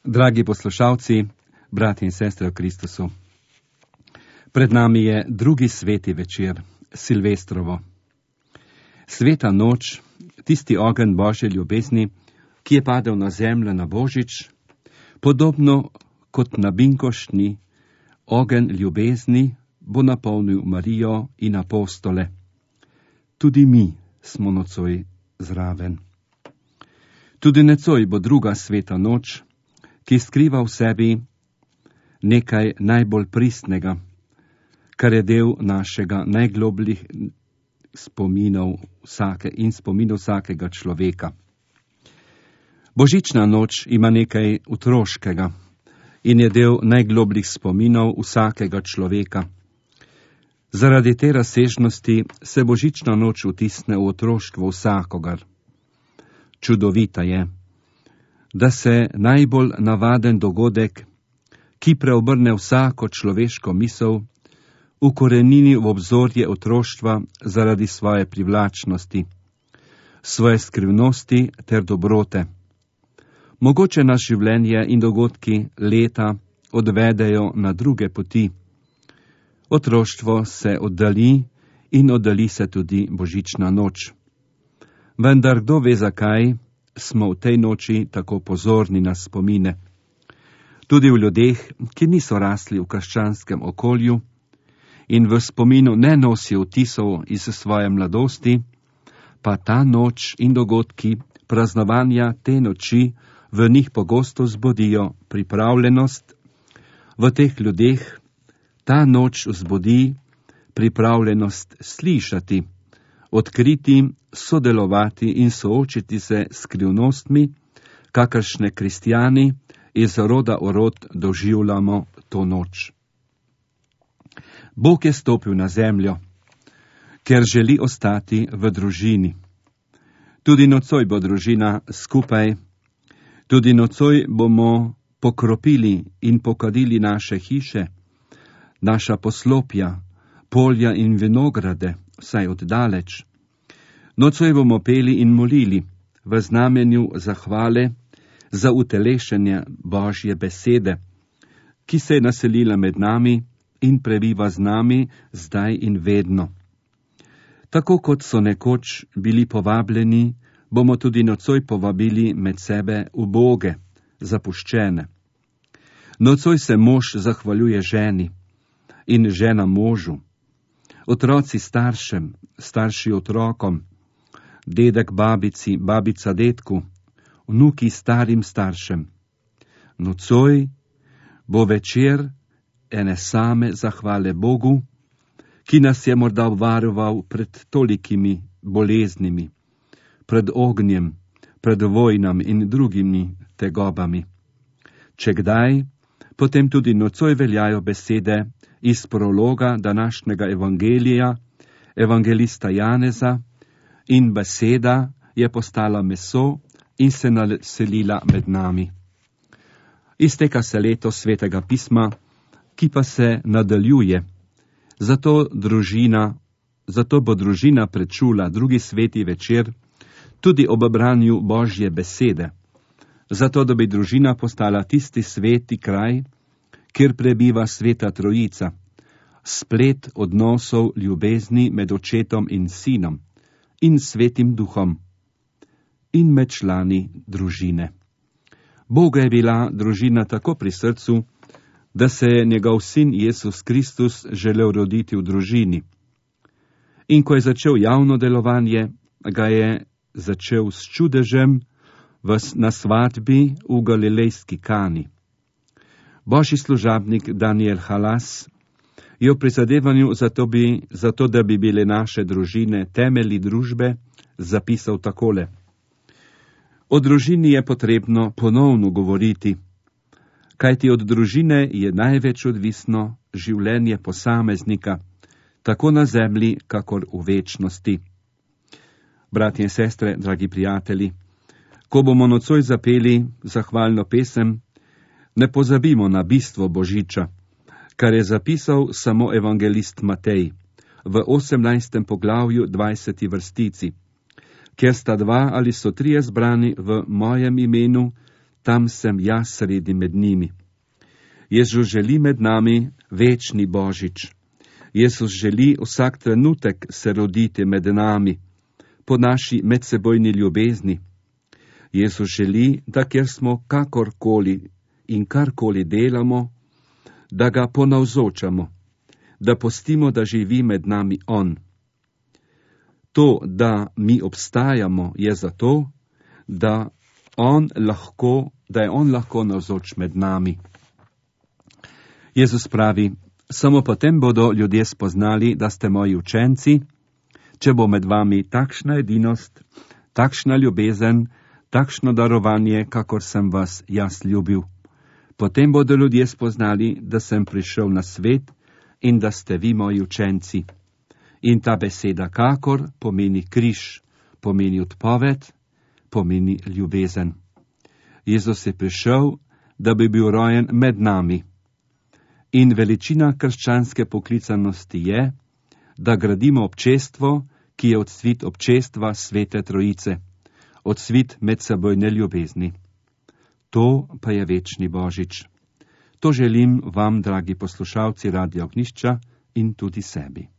Dragi poslušalci, brati in sestre v Kristusu, pred nami je drugi sveti večer, Silvestrovo. Sveta noč, tisti ogenj Božje ljubezni, ki je padel na zemljo na Božič, podobno kot na binkoštni ogenj ljubezni bo napolnil Marijo in apostole. Tudi mi smo nocoj zraven. Tudi nocoj bo druga sveta noč, ki skriva v sebi nekaj najbolj pristnega, kar je del našega najglobljih spominov vsakega človeka. Božična noč ima nekaj otroškega in je del najglobljih spominov vsakega človeka. Zaradi te razsežnosti se božična noč vtisne v otroštvo vsakogar. Čudovita je, da se najbolj navaden dogodek, ki preobrne vsako človeško misel, ukorenini v obzorje otroštva zaradi svoje privlačnosti, svoje skrivnosti ter dobrote. Mogoče nas življenje in dogodki leta odvedejo na druge poti. Otroštvo se oddali in oddali se tudi božična noč. Vendar kdo ve zakaj smo v tej noči tako pozorni na spomine. Tudi v ljudeh, ki niso rasli v krščanskem okolju in v spominu ne nosijo vtisov iz svoje mladosti, pa ta noč in dogodki praznovanja te noči v njih pogosto zbudijo pripravljenost. V teh ljudeh ta noč vzbudi pripravljenost slišati, odkriti, sodelovati in soočiti se s skrivnostmi, kakršne kristjani iz roda v rod doživljamo to noč. Bog je stopil na zemljo, ker želi ostati v družini. Tudi nocoj bo družina skupaj, tudi nocoj bomo pokropili in pokadili naše hiše, naša poslopja, polja in vinograde, vsaj oddaleč. Nocoj bomo peli in molili v znamenju zahvale za utelešenje Božje besede, ki se je naselila med nami in prebiva z nami zdaj in vedno. Tako kot so nekoč bili povabljeni, bomo tudi nocoj povabili med sebe uboge, zapuščene. Nocoj se mož zahvaljuje ženi in žena možu, otroci staršem, starši otrokom, dedek babici, babica dedku, vnuki starim staršem. Nocoj bo večer ene same zahvale Bogu, ki nas je morda varoval pred tolikimi boleznimi, pred ognjem, pred vojnami in drugimi tegobami. Če kdaj, potem tudi nocoj veljajo besede iz prologa današnjega evangelija, evangelista Janeza, in beseda je postala meso in se naselila med nami. Izteka se leto svetega pisma, ki pa se nadaljuje. Zato bo družina prečula drugi sveti večer tudi ob branju Božje besede. Zato, da bi družina postala tisti sveti kraj, kjer prebiva sveta trojica, splet odnosov ljubezni med očetom in sinom in svetim duhom in med člani družine. Bogu je bila družina tako pri srcu, da se je njegov sin Jezus Kristus želel roditi v družini. In ko je začel javno delovanje, ga je začel s čudežem na svatbi v galilejski Kani. Božji služabnik Daniel Halas je v prizadevanju zato, da bi bile naše družine temelji družbe, zapisal takole. O družini je potrebno ponovno govoriti, kajti od družine je največ odvisno življenje posameznika, tako na zemlji, kakor v večnosti. Bratje in sestre, dragi prijatelji, ko bomo nocoj zapeli zahvalno pesem, ne pozabimo na bistvo Božiča, kar je zapisal samo evangelist Matej v 18. poglavju 20. vrstici. Kjer sta dva ali so trije zbrani v mojem imenu, tam sem jaz sredi med njimi. Jezus želi med nami večni Božič. Jezus želi vsak trenutek se roditi med nami, po naši medsebojni ljubezni. Jezus želi, da kjer smo kakorkoli in karkoli delamo, da ga ponavzočamo, da pustimo, da živi med nami on. To, da mi obstajamo, je zato, da je on lahko navzoč med nami. Jezus pravi, samo potem bodo ljudje spoznali, da ste moji učenci, če bo med vami takšna edinost, takšna ljubezen, takšno darovanje, kakor sem vas jaz ljubil. Potem bodo ljudje spoznali, da sem prišel na svet in da ste vi moji učenci. In ta beseda kakor pomeni križ, pomeni odpoved, pomeni ljubezen. Jezus je prišel, da bi bil rojen med nami. In veličina krščanske poklicanosti je, da gradimo občestvo, ki je odsvit občestva Svete Trojice, odsvit medsebojne ljubezni. To pa je večni Božič. To želim vam, dragi poslušalci Radia Ognjišča, in tudi sebi.